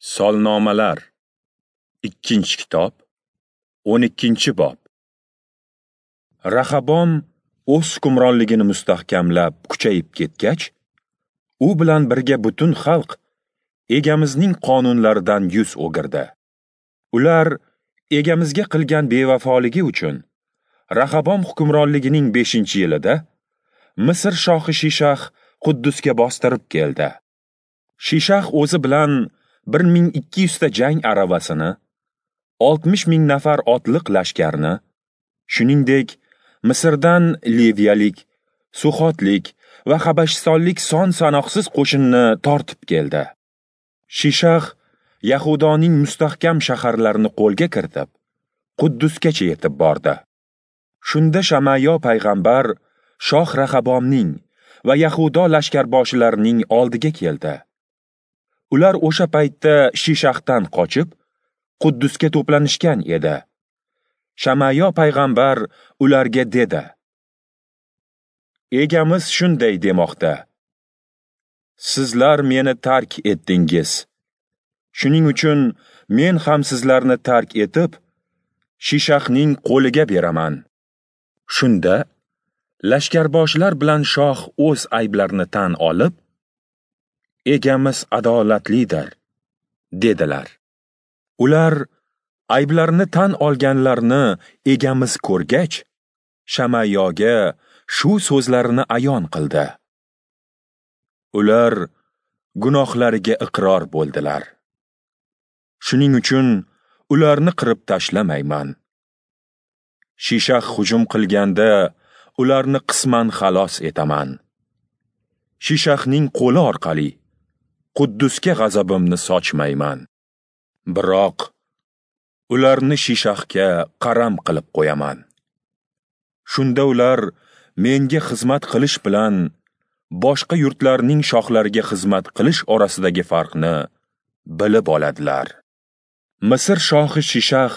Solnomalar, 2-kitob, 12-bob. Rahabom o'z hukmronligini mustahkamlab kuchayib ketgach, u bilan birga butun xalq Egamizning qonunlaridan yuz o'girdi. Ular Egamizga qilgan bevafoligi uchun Rahabom hukmronligining 5-yilida Misr shohi Shishah Quddusga bostirib keldi. Shishah o'zi bilan 1200 ta jang aravasini, 60 ming nafar otliq lashkarni, shuningdek Misrdan Liviyalik, Suxotlik va Habashistonlik son-sanoqsiz qo'shinni tortib keldi. Shishah Yahudoning mustahkam shaharlarini qo'lga kiritib, Quddusgacha yetib bordi. Shunda Shamayo payg'ambar shoh Rahabomning va Yahudo lashkarboshilarining oldiga keldi. Ular o'sha paytda Shishahdan qochib, Quddusga to'planishgan edi. Shamayo payg'ambar ularga dedi: Egamiz shunday demoqda: Sizlar meni tark etdingiz. Shuning uchun men ham sizlarni tark etib, Shishahning qo'liga beraman. Shunda lashkarboshilar bilan shoh o'z ayblarini tan olib, Egamiz adolatlidir, dedilar. Ular ayblarini tan olganlarni Egamiz ko'rgach, Shamayoga shu so'zlarini ayon qildi. Ular gunohlariga iqror bo'ldilar. Shuning uchun ularni qirib tashlamayman. Shishah hujum qilganda ularni qisman xalos etaman. Shishahning qo'li orqali Quddusga g'azabimni sochmayman. Biroq ularni Shishahga qaram qilib qo'yaman. Shunda ular menga xizmat qilish bilan boshqa yurtlarning shohlariga xizmat qilish orasidagi farqni bilib oladilar. Misr shohi Shishah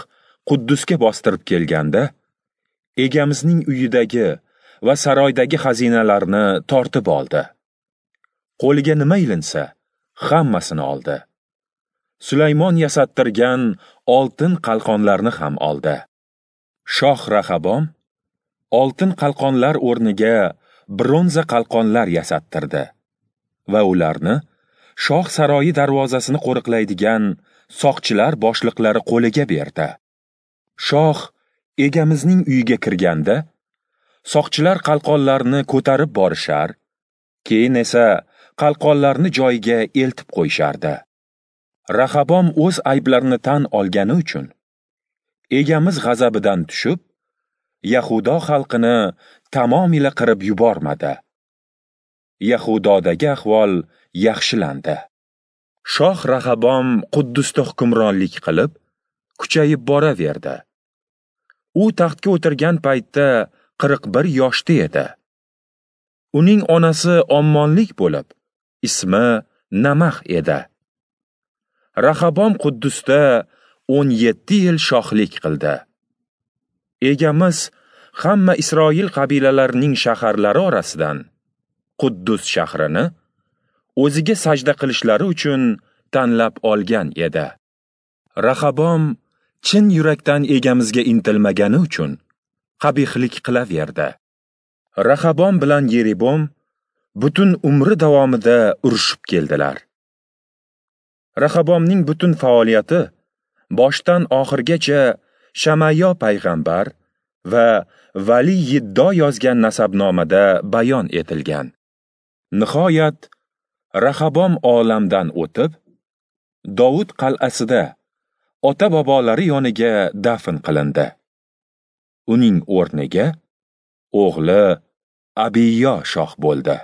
Quddusga bostirib kelganda, Egamizning uyidagi va saroydagi xazinalarni tortib oldi. Qo'liga nima ilinsa, hammasini oldi. Sulaymon yasattirgan oltin qalqonlarni ham oldi. Shoh Rahabom oltin qalqonlar o'rniga bronza qalqonlar yasattirdi va ularni shoh saroyi darvozasini qo'riqlaydigan soqchilar boshliqlari qo'liga berdi. Shoh Egamizning uyiga kirganda, soqchilar qalqonlarni ko'tarib borishar, keyin esa qalqonlarni joyiga eltib qo'yishardi. Rahabom o'z ayblarini tan olgani uchun Egamiz g'azabidan tushib, Yahudo xalqini tamomila qirib yubormadi. Yahudodagi ahvol yaxshilandi. Shoh Rahabom Quddusda hukmronlik qilib, kuchayib boraverdi. U taxtga o'tirgan paytda 41 yoshda edi. Uning onasi Ommonlik bo'lib, ismi Namax edi. Rahabom Quddusda 17 yil shohlik qildi. Egamiz hamma Isroil qabilalarining shaharlari orasidan Quddus shahrini o'ziga sajda qilishlari uchun tanlab olgan edi. Rahabom chin yurakdan Egamizga intilmagani uchun qabihlik qilaverdi. Rahabom bilan Yeribom butun umri davomida urushib keldilar. Rahabomning butun faoliyati boshdan oxirgacha Shamayo payg'ambar va Vali Yiddo yozgan nasabnomada bayon etilgan. Nihoyat Rahabom olamdan o'tib, Dovud qal'asida ota-bobolari yoniga dafn qilindi. Uning o'rniga o'g'li Abiyo shoh bo'ldi.